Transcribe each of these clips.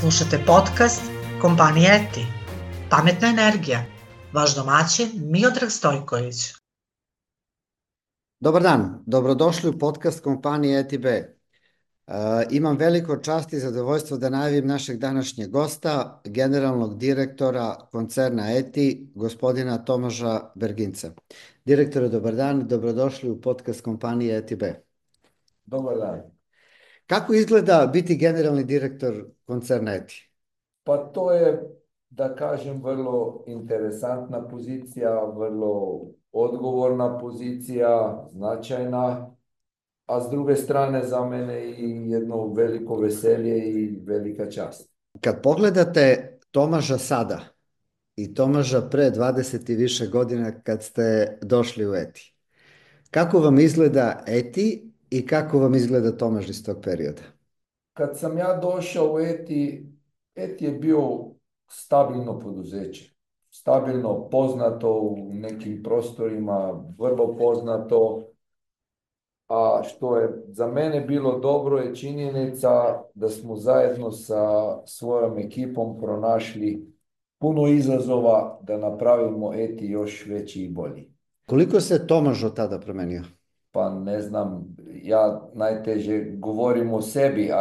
Slušate podcast kompanije ETI. Pametna energija. Vaš domaćin Miodrag Stojković. Dobar dan, dobrodošli u podcast kompanije ETB. Imam veliko čast i zadovoljstvo da najavim našeg današnjeg gosta, generalnog direktora koncerna ETI, gospodina Tomaža Berginca. Direktore, dobar dan, dobrodošli u podcast kompanije ETB. Dobar dan. Kako izgleda biti generalni direktor koncerna ETI? Pa to je, da kažem, vrlo interesantna pozicija, vrlo odgovorna pozicija, značajna, a s druge strane za mene i jedno veliko veselje i velika čast. Kad pogledate Tomaža sada i Tomaža pre 20 i više godina kad ste došli u ETI, kako vam izgleda ETI i kako vam izgleda Tomaž iz tog perioda? Kad sam ja došao u ETI je bio stabilno poduzeće. Stabilno, poznato u nekim prostorima, vrlo poznato. A što je za mene bilo dobro je činjenica da smo zajedno sa svojom ekipom pronašli puno izazova da napravimo ETI još veći i bolji. Koliko se Tomaž od tada promenio? Pa ne znam, ja najteže govorim o sebi.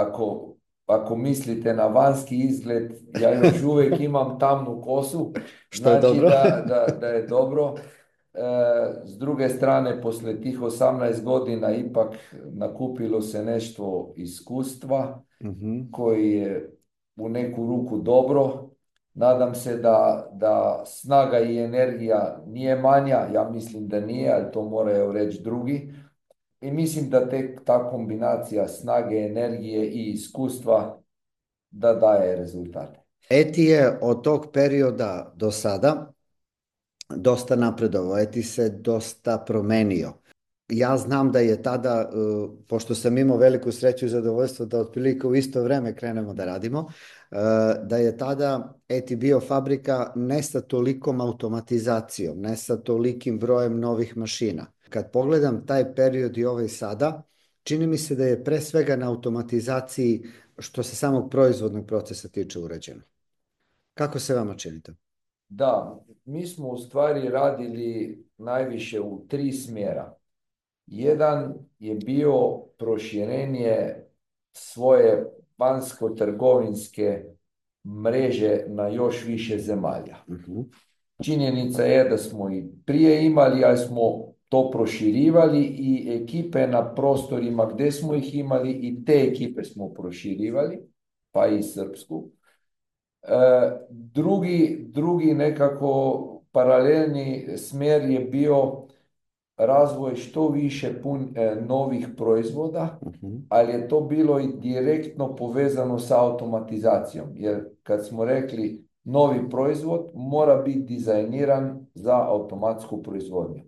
Ako mislite na vanjski izgled, ja još uvijek imam tamnu kosu, Što je znači dobro. da je dobro. S druge strane, poslije tih 18 godina ipak nakupilo se nešto iskustva koji je u neku ruku dobro. Nadam se da snaga i energija nije manja, ja mislim da nije, ali to moraju reći drugi. I mislim da ta kombinacija snage, energije i iskustva da daje rezultate. ETI je od tog perioda do sada dosta napredovao, ETI se dosta promenio. Ja znam da je tada, pošto sam imao veliku sreću i zadovoljstvo da otprilike u isto vreme krenemo da radimo, da je tada ETI bio fabrika ne sa tolikom automatizacijom, ne sa tolikim brojem novih mašina. Kad pogledam taj period i ovaj sada, čini mi se da je pre svega na automatizaciji što se samog proizvodnog procesa tiče urađeno. Kako se vama čini to? Da, mi smo u stvari radili najviše u 3 smjera. Jedan je bio proširenje svoje vanjsko-trgovinske mreže na još više zemalja. Činjenica je da smo i prije imali, ali smo to proširivali i ekipe na prostorima gdje smo ih imali i te ekipe smo proširivali, pa i srpsku. Drugi nekako paralelni smjer je bio razvoj što više novih proizvoda, ali je to bilo i direktno povezano sa automatizacijom. Jer kad smo rekli novi proizvod mora biti dizajniran za automatsku proizvodnju.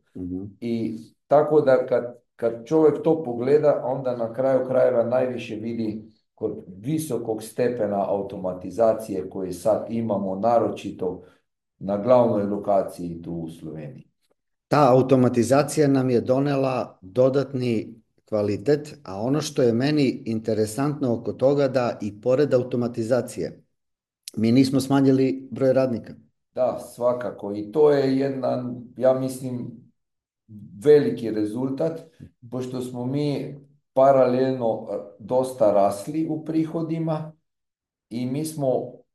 I tako da kad čovjek to pogleda, onda na kraju krajeva najviše vidi kod visokog stepena automatizacije koje sad imamo, naročito na glavnoj lokaciji tu u Sloveniji. Ta automatizacija nam je donela dodatni kvalitet, a ono što je meni interesantno oko toga da i pored automatizacije mi nismo smanjili broj radnika. Da, svakako. I to je jedan, ja mislim, veliki rezultat, pošto smo mi paralelno dosta rasli u prihodima i mi smo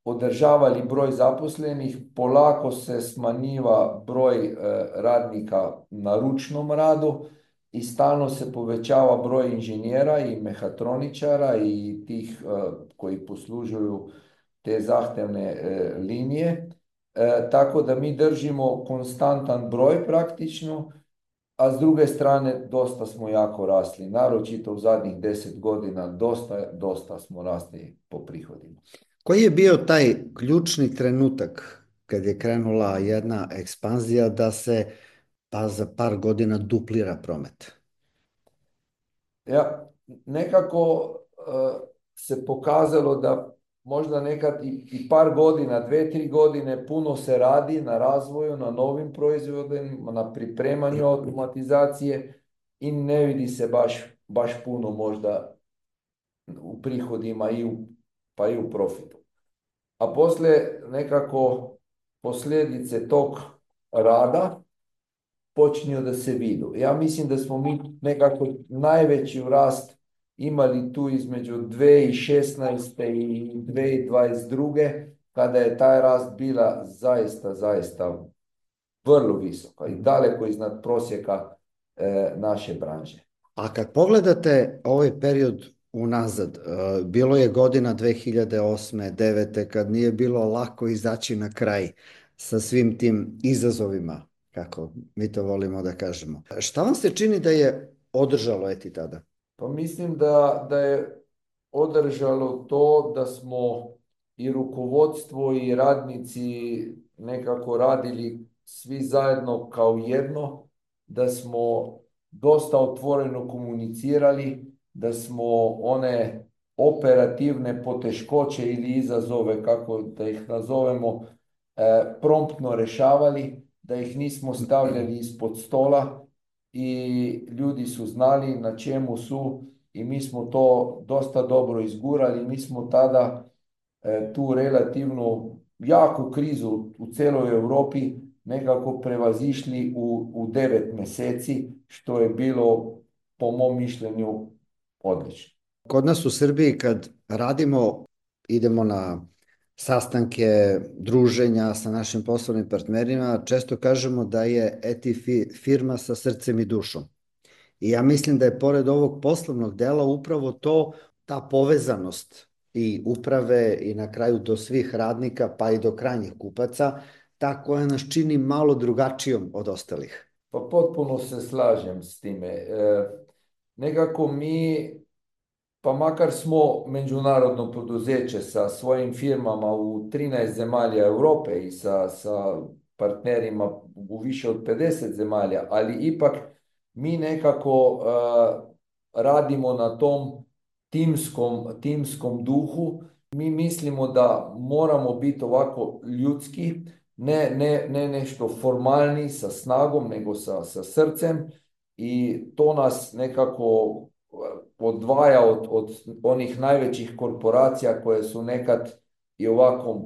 održavali broj zaposlenih, polako se smanjiva broj radnika na ručnom radu i stalno se povećava broj inženjera i mehatroničara i tih koji poslužuju te zahtevne linije. Tako da mi držimo konstantan broj praktično, a s druge strane dosta smo jako rasli. Naročito u zadnjih 10 godina dosta smo rasli po prihodima. Koji je bio taj ključni trenutak kad je krenula jedna ekspanzija da se pa za par godina duplira promet? Ja, nekako se pokazalo da možda nekad i par godina, 2-3 godine puno se radi na razvoju, na novim proizvodima, na pripremanju automatizacije i ne vidi se baš puno možda u prihodima pa i u profitu. a poslije nekako posljedice tog rada počinju da se vidu. Ja mislim da smo mi nekako najveći rast imali tu između 2016. i 2022. kada je taj rast bila zaista vrlo visoka i daleko iznad prosjeka naše branže. A kad pogledate ovaj period unazad, bilo je godina 2008. 2009. kad nije bilo lako izaći na kraj sa svim tim izazovima, kako mi to volimo da kažemo. Šta vam se čini da je održalo Eti tada? Pa mislim da je održalo to da smo i rukovodstvo i radnici nekako radili svi zajedno kao jedno, da smo dosta otvoreno komunicirali, da smo one operativne poteškoće ili izazove, kako da ih nazovemo, promptno rešavali, da ih nismo stavljali ispod stola i ljudi su znali na čemu su i mi smo to dosta dobro izgurali. Mi smo tada tu relativno jaku krizu u celoj Europi nekako prevazišli u 9 meseci, što je bilo po mom mišljenju odlično. Kod nas u Srbiji kad radimo, idemo na sastanke, druženja sa našim poslovnim partnerima, često kažemo da je Eti firma sa srcem i dušom. I ja mislim da je pored ovog poslovnog dela upravo to, ta povezanost i uprave i na kraju do svih radnika pa i do krajnjih kupaca, ta koja nas čini malo drugačijom od ostalih. Pa potpuno se slažem s time. Nekako mi, pa makar smo međunarodno poduzeće sa svojim firmama u 13 zemalja Europe i sa partnerima u više od 50 zemalja, ali ipak mi nekako radimo na tom timskom duhu. Mi mislimo da moramo biti ovako ljudski, ne nešto formalni sa snagom, nego sa srcem i to nas nekako odvaja od onih najvećih korporacija koje su nekad i ovako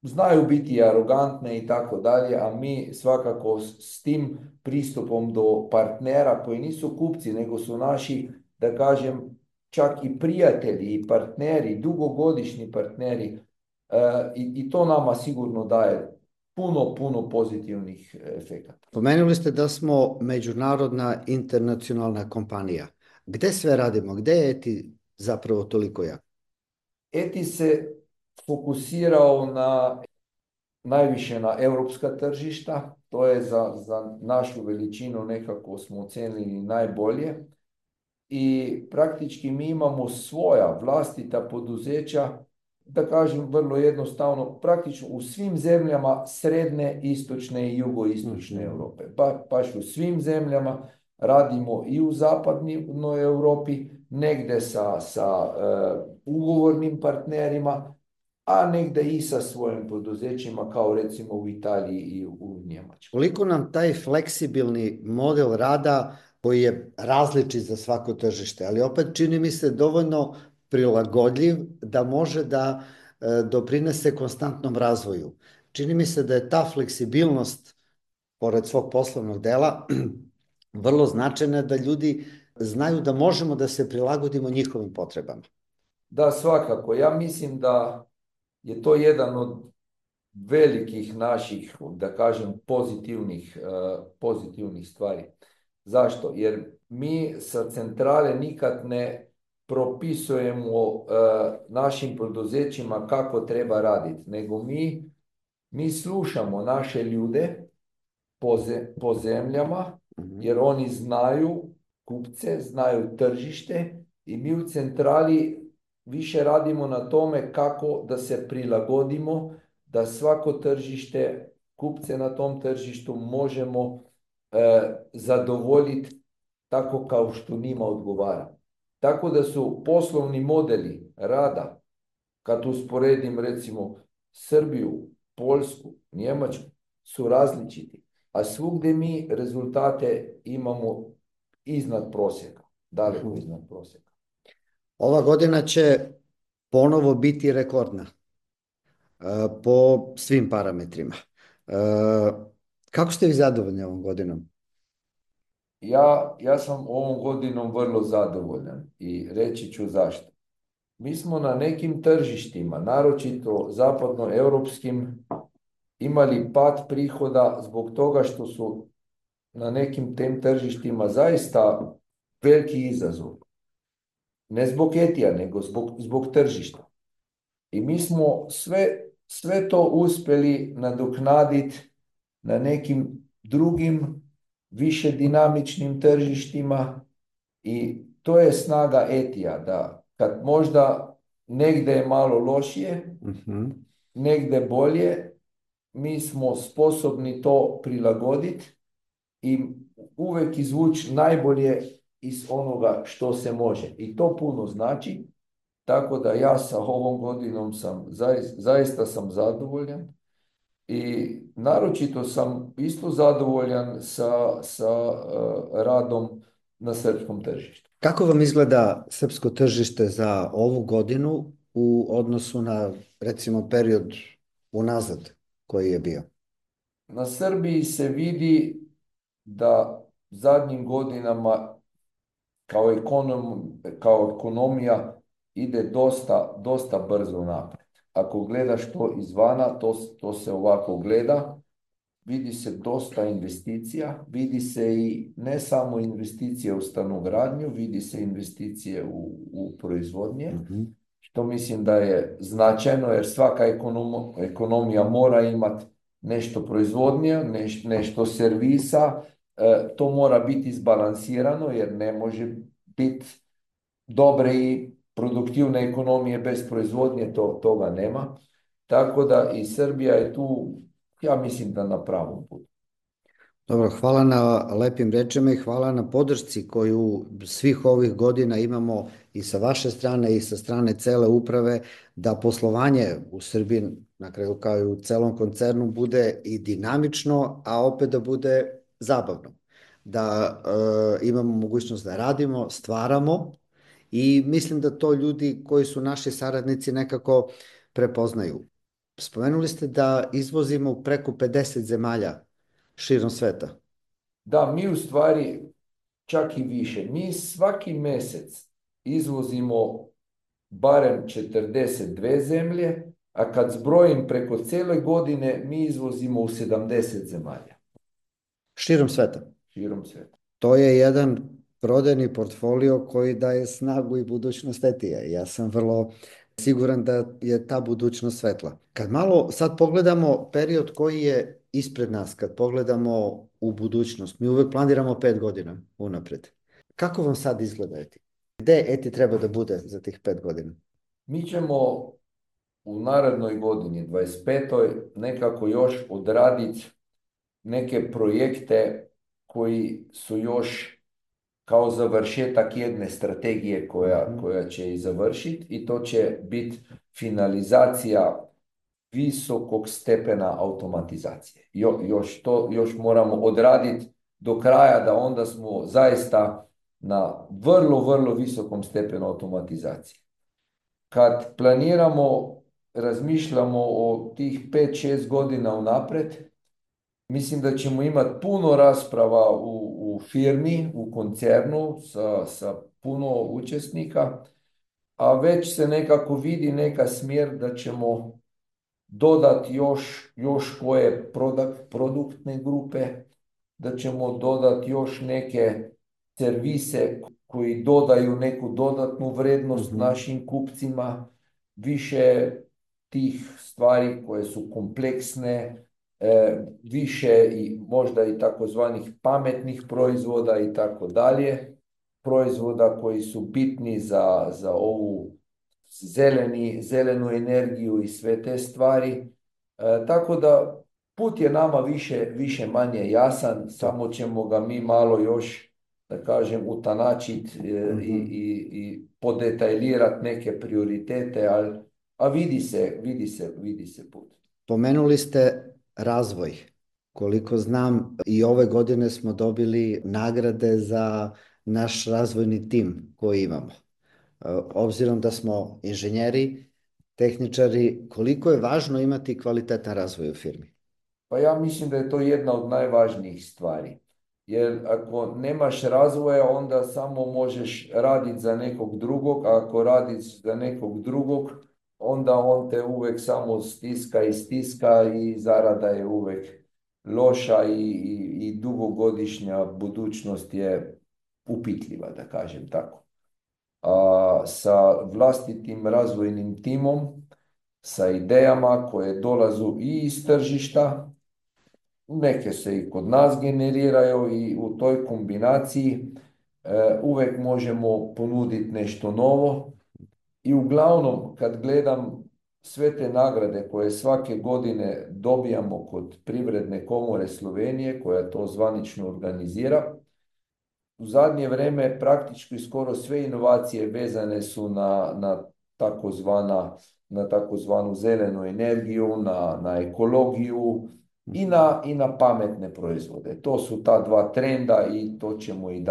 znaju biti arogantne i tako dalje, a mi svakako s tim pristupom do partnera koji nisu kupci, nego su naši, da kažem, čak i prijatelji i partneri, dugogodišnji partneri, i to nama sigurno daje puno pozitivnih efekata. Pomenuli ste da smo međunarodna internacionalna kompanija. Gde sve radimo? Gde je Eti zapravo toliko jak? Eti se fokusirao najviše na europska tržišta, to je za našu veličinu nekako smo ocenili najbolje i praktički mi imamo svoja vlastita poduzeća, da kažem vrlo jednostavno, praktično u svim zemljama srednje, istočne i jugoistočne Europe. Baš u svim zemljama radimo i u zapadnoj Europi, negde sa ugovornim partnerima, a negde i sa svojim poduzećima, kao recimo u Italiji i u Njemačkoj. Koliko nam taj fleksibilni model rada, koji je različit za svako tržište, ali opet čini mi se dovoljno prilagodljiv da može da doprinese konstantnom razvoju. Čini mi se da je ta fleksibilnost, pored svog poslovnog dela, vrlo značajna da ljudi znaju da možemo da se prilagodimo njihovim potrebama. Da, svakako. Ja mislim da je to jedan od velikih naših, da kažem, pozitivnih stvari. Zašto? Jer mi sa centrale nikad ne propisujemo našim poduzećima kako treba raditi, nego mi slušamo naše ljude po zemljama, jer oni znaju kupce, znaju tržište i mi u centrali više radimo na tome kako da se prilagodimo, da svako tržište, kupce na tom tržištu možemo zadovoljiti tako kao što njima odgovara. Tako da su poslovni modeli rada, kad usporedim recimo Srbiju, Poljsku, Njemačku, su različiti, a svugdje mi rezultate imamo iznad prosjeka, daleko iznad prosjeka. Ova godina će ponovo biti rekordna. po svim parametrima. Kako ste vi zadovoljni ovom godinom? Ja sam ovom godinom vrlo zadovoljan i reći ću zašto. Mi smo na nekim tržištima, naročito zapadnoeuropskim, imali pad prihoda zbog toga što su na nekim tem tržištima zaista veliki izazov. Ne zbog Etija, nego zbog tržišta. I mi smo sve to uspjeli nadoknaditi na nekim drugim, više dinamičnim tržištima i to je snaga Etija, da kad možda negdje je malo lošije, negdje bolje, mi smo sposobni to prilagoditi i uvijek izvući najbolje iz onoga što se može. I to puno znači, tako da ja sa ovom godinom zaista sam zadovoljan i naročito sam isto zadovoljan sa radom na srpskom tržištu. Kako vam izgleda srpsko tržište za ovu godinu u odnosu na, recimo, period unazad koji je bio? Na Srbiji se vidi da zadnjim godinama kao ekonomija ide dosta brzo naprijed. Ako gledaš to izvana, to se ovako gleda, vidi se dosta investicija, vidi se i ne samo investicije u stanogradnju, vidi se investicije u proizvodnje, što mislim da je značajno jer svaka ekonomija mora imati nešto proizvodnje, nešto servisa, to mora biti izbalansirano jer ne može biti dobre i produktivne ekonomije bez proizvodnje, toga nema. Tako da i Srbija je tu, ja mislim da na pravom putu. Dobro, hvala na lepim rečima i hvala na podršci koju svih ovih godina imamo i sa vaše strane i sa strane cele uprave, da poslovanje u Srbiji, na kraju kao i u celom koncernu, bude i dinamično, a opet da bude zabavno. Da imamo mogućnost da radimo, stvaramo i mislim da to ljudi koji su naši saradnici nekako prepoznaju. Spomenuli ste da izvozimo preko 50 zemalja širom sveta. Da, mi u stvari čak i više. Mi svaki mjesec izvozimo barem 42 zemlje, a kad zbrojim preko cijele godine, mi izvozimo u 70 zemalja. Širom sveta. Širom sveta. To je jedan prodajni portfolio koji daje snagu i budućnost Etija. Ja sam vrlo siguran da je ta budućnost svetla. Kad malo sad pogledamo period koji je ispred nas, kad pogledamo u budućnost, mi uvek planiramo 5 godina unapred. Kako vam sad izgleda Eti? Gde Eti treba da bude za tih 5 godina? Mi ćemo u narednoj godini, 25. nekako još odraditi neke projekte koji su još kao završetak jedne strategije koja će i završiti i to će biti finalizacija visokog stepena automatizacije. Još moramo odraditi do kraja da onda smo zaista na vrlo, vrlo visokom stepenu automatizacije. Kad planiramo, razmišljamo o tih 5-6 godina unapred, mislim da ćemo imati puno rasprava u firmi, u koncernu sa puno učesnika, a već se nekako vidi neka smjer da ćemo dodati još koje produktne grupe, da ćemo dodati još neke servise koji dodaju neku dodatnu vrednost našim kupcima, više tih stvari koje su kompleksne, više i možda i takozvanih pametnih proizvoda i tako dalje, proizvoda koji su bitni za ovu zelenu energiju i sve te stvari. Tako da put je nama više manje jasan, samo ćemo ga mi malo još, da kažem, utanačiti i podetajlirati neke prioritete, a vidi se put. Pomenuli ste razvoj. Koliko znam, i ove godine smo dobili nagrade za naš razvojni tim koji imamo. Obzirom da smo inženjeri, tehničari, koliko je važno imati kvalitetan razvoj u firmi? Pa ja mislim da je to jedna od najvažnijih stvari. Jer ako nemaš razvoja, onda samo možeš raditi za nekog drugog, a ako radiš za nekog drugog, onda on te uvijek samo stiska i stiska i zarada je uvijek loša i dugogodišnja budućnost je upitljiva, da kažem tako. A sa vlastitim razvojnim timom, sa idejama koje dolazu i iz tržišta, neke se i kod nas generiraju i u toj kombinaciji uvijek možemo ponuditi nešto novo. I uglavnom, kad gledam sve te nagrade koje svake godine dobijamo kod Privredne komore Slovenije, koja to zvanično organizira, u zadnje vrijeme praktički skoro sve inovacije vezane su na takozvanu zelenu energiju, na ekologiju i na pametne proizvode. To su ta dva trenda i to ćemo i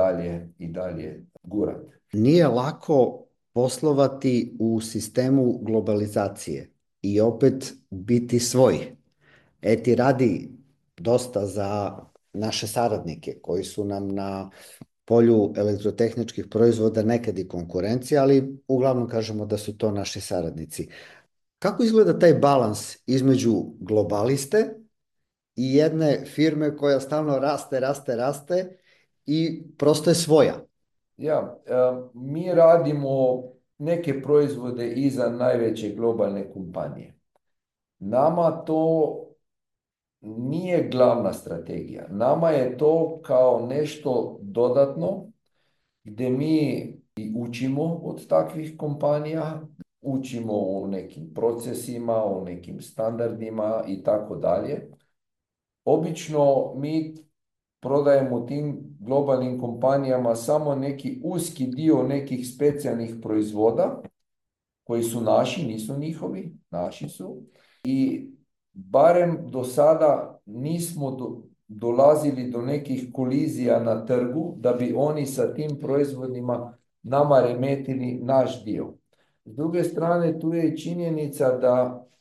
dalje gurati. Nije lako poslovati u sistemu globalizacije i opet biti svoj. Eti radi dosta za naše saradnike koji su nam na polju elektrotehničkih proizvoda nekad i konkurencija, ali uglavnom kažemo da su to naši saradnici. Kako izgleda taj balans između globaliste i jedne firme koja stalno raste i prosto je svoja? Mi radimo neke proizvode i za najveće globalne kompanije. Nama to nije glavna strategija. Nama je to kao nešto dodatno gdje mi i učimo od takvih kompanija, učimo o nekim procesima, o nekim standardima i tako dalje. Obično mi prodajemo tim globalnim kompanijama samo neki uski dio nekih specijalnih proizvoda koji su naši, nisu njihovi, naši su. I barem do sada nismo dolazili do nekih kolizija na trgu da bi oni sa tim proizvodima nama remetili naš dio. S druge strane, tu je i činjenica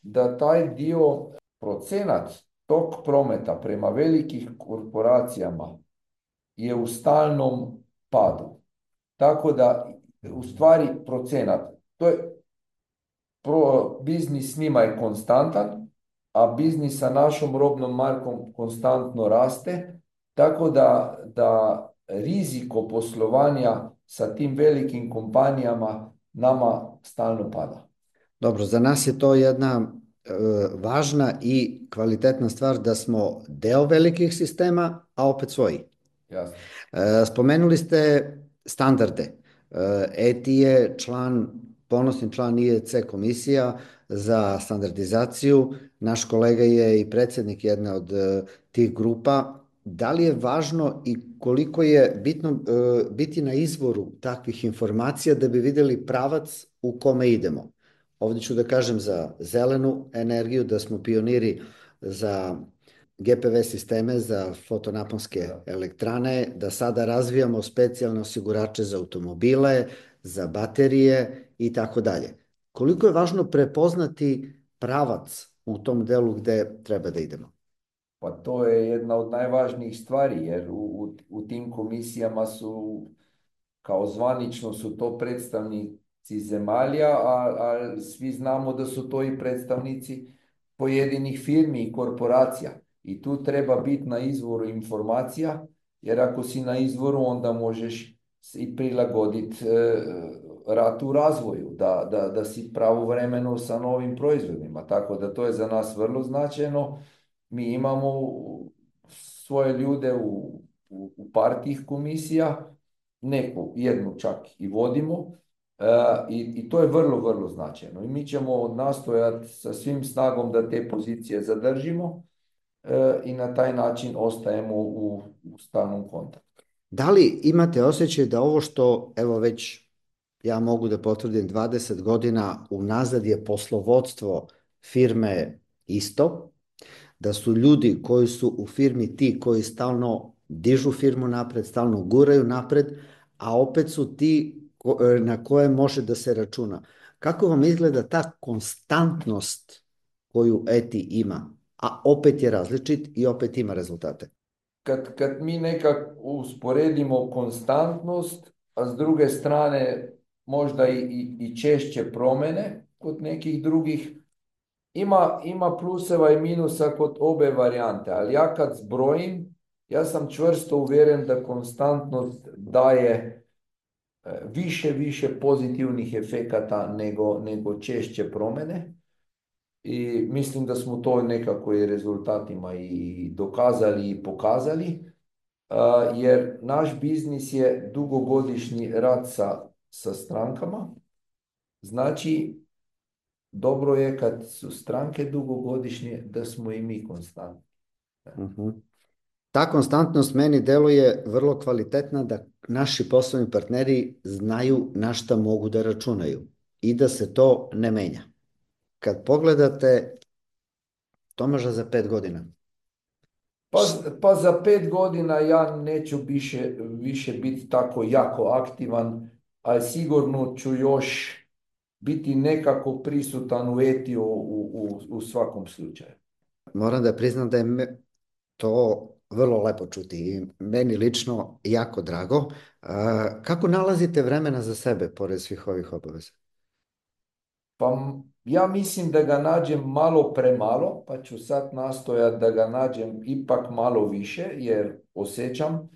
da taj dio procenat tog prometa prema velikih korporacijama je u stalnom padu. Tako da, u stvari, procenat, to je biznis s njima je konstantan, a biznis sa našom robnom markom konstantno raste, tako da riziko poslovanja sa tim velikim kompanijama nama stalno pada. Dobro, za nas je to jedna važna i kvalitetna stvar da smo deo velikih sistema, a opet svoji. Jasno. Spomenuli ste standarde. ETI je ponosni član IEC komisija za standardizaciju. Naš kolega je i predsjednik jedne od tih grupa. Da li je važno i koliko je bitno biti na izvoru takvih informacija da bi vidjeli pravac u kome idemo? Ovdje ću da kažem za zelenu energiju, da smo pioniri za GPV sisteme, za fotonaponske elektrane, da sada razvijamo specijalne osigurače za automobile, za baterije i tako dalje. Koliko je važno prepoznati pravac u tom delu gde treba da idemo? Pa to je jedna od najvažnijih stvari, jer u tim komisijama kao zvanično su to predstavnici zemalja, a svi znamo da su to i predstavnici pojedinih firmi i korporacija. I tu treba biti na izvoru informacija, jer ako si na izvoru, onda možeš i prilagoditi rat u razvoju, da si pravovremeno sa novim proizvodima. Tako da to je za nas vrlo značajno. Mi imamo svoje ljude u par tih komisija, jednu čak i vodimo, i to je vrlo, vrlo značajno. I mi ćemo nastojati sa svim snagom da te pozicije zadržimo i na taj način ostajemo u stalnom kontaktu. Da li imate osjećaj da ovo što, evo već ja mogu da potvrdim 20 godina unazad je poslovodstvo firme isto, da su ljudi koji su u firmi ti koji stalno dižu firmu napred, stalno guraju napred, a opet su ti na koje može da se računa. Kako vam izgleda ta konstantnost koju ETI ima, a opet je različit i opet ima rezultate? Kad mi nekak usporedimo konstantnost, a s druge strane možda i češće promjene kod nekih drugih, ima pluseva i minusa kod obe varijante, ali ja kad zbrojim, ja sam čvrsto uvjeren da konstantnost daje više pozitivnih efekata nego češće promjene. I mislim da smo to nekako i rezultatima i dokazali i pokazali, jer naš biznis je dugogodišnji rad sa strankama. Znači, dobro je kad su stranke dugogodišnje da smo i mi konstantni. Ta konstantnost meni deluje vrlo kvalitetna, da naši poslovni partneri znaju na šta mogu da računaju i da se to ne menja. Kad pogledate Tomaža za 5 godina. Pa za 5 godina ja neću više biti tako jako aktivan, a sigurno ću još biti nekako prisutan u ETI u svakom slučaju. Moram da priznam da je to vrlo lepo čuti i meni lično jako drago. Kako nalazite vremena za sebe pored svih ovih obaveza? Pa ja mislim da ga nađem malo premalo, pa ću sad nastojati da ga nađem ipak malo više, jer osjećam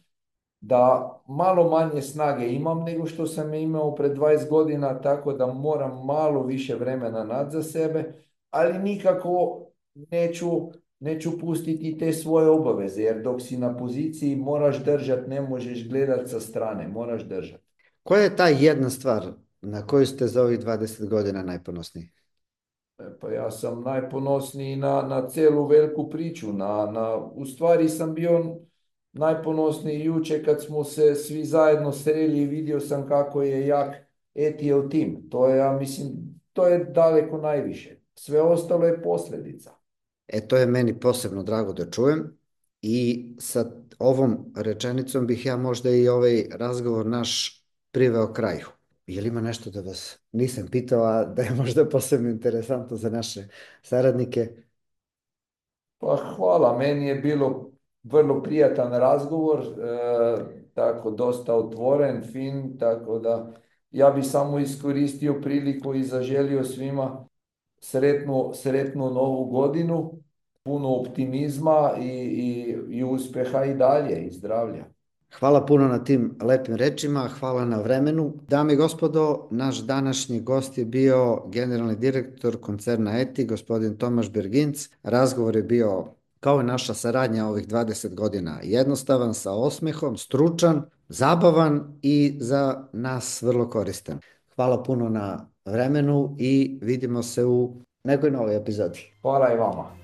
da malo manje snage imam nego što sam imao pred 20 godina, tako da moram malo više vremena naći za sebe, ali nikako neću pustiti te svoje obaveze, jer dok si na poziciji moraš držati, ne možeš gledati sa strane, moraš držati. Koja je ta jedna stvar na koju ste za ovih 20 godina najponosniji? Pa ja sam najponosniji na celu veliku priču. U stvari sam bio najponosniji jučer kad smo se svi zajedno sreli i vidio sam kako je jak ETL tim. To je, ja mislim, to je daleko najviše. Sve ostalo je posljedica. To je meni posebno drago da čujem i sa ovom rečenicom bih ja možda i ovaj razgovor naš priveo kraju. Je li ima nešto da vas nisam pitao, a da je možda posebno interesantno za naše saradnike? Pa hvala, meni je bilo vrlo prijatan razgovor, tako dosta otvoren, fin, tako da ja bi samo iskoristio priliku i zaželio svima sretnu novu godinu, puno optimizma i uspjeha i dalje i zdravlja. Hvala puno na tim lepim rečima, hvala na vremenu. Dame i gospodo, naš današnji gost je bio generalni direktor koncerna ETI, gospodin Tomaž Berginc. Razgovor je bio, kao i naša saradnja ovih 20 godina, jednostavan, sa osmehom, stručan, zabavan i za nas vrlo koristan. Hvala puno na vremenu i vidimo se u nekoj novoj epizodi. Hvala i vama.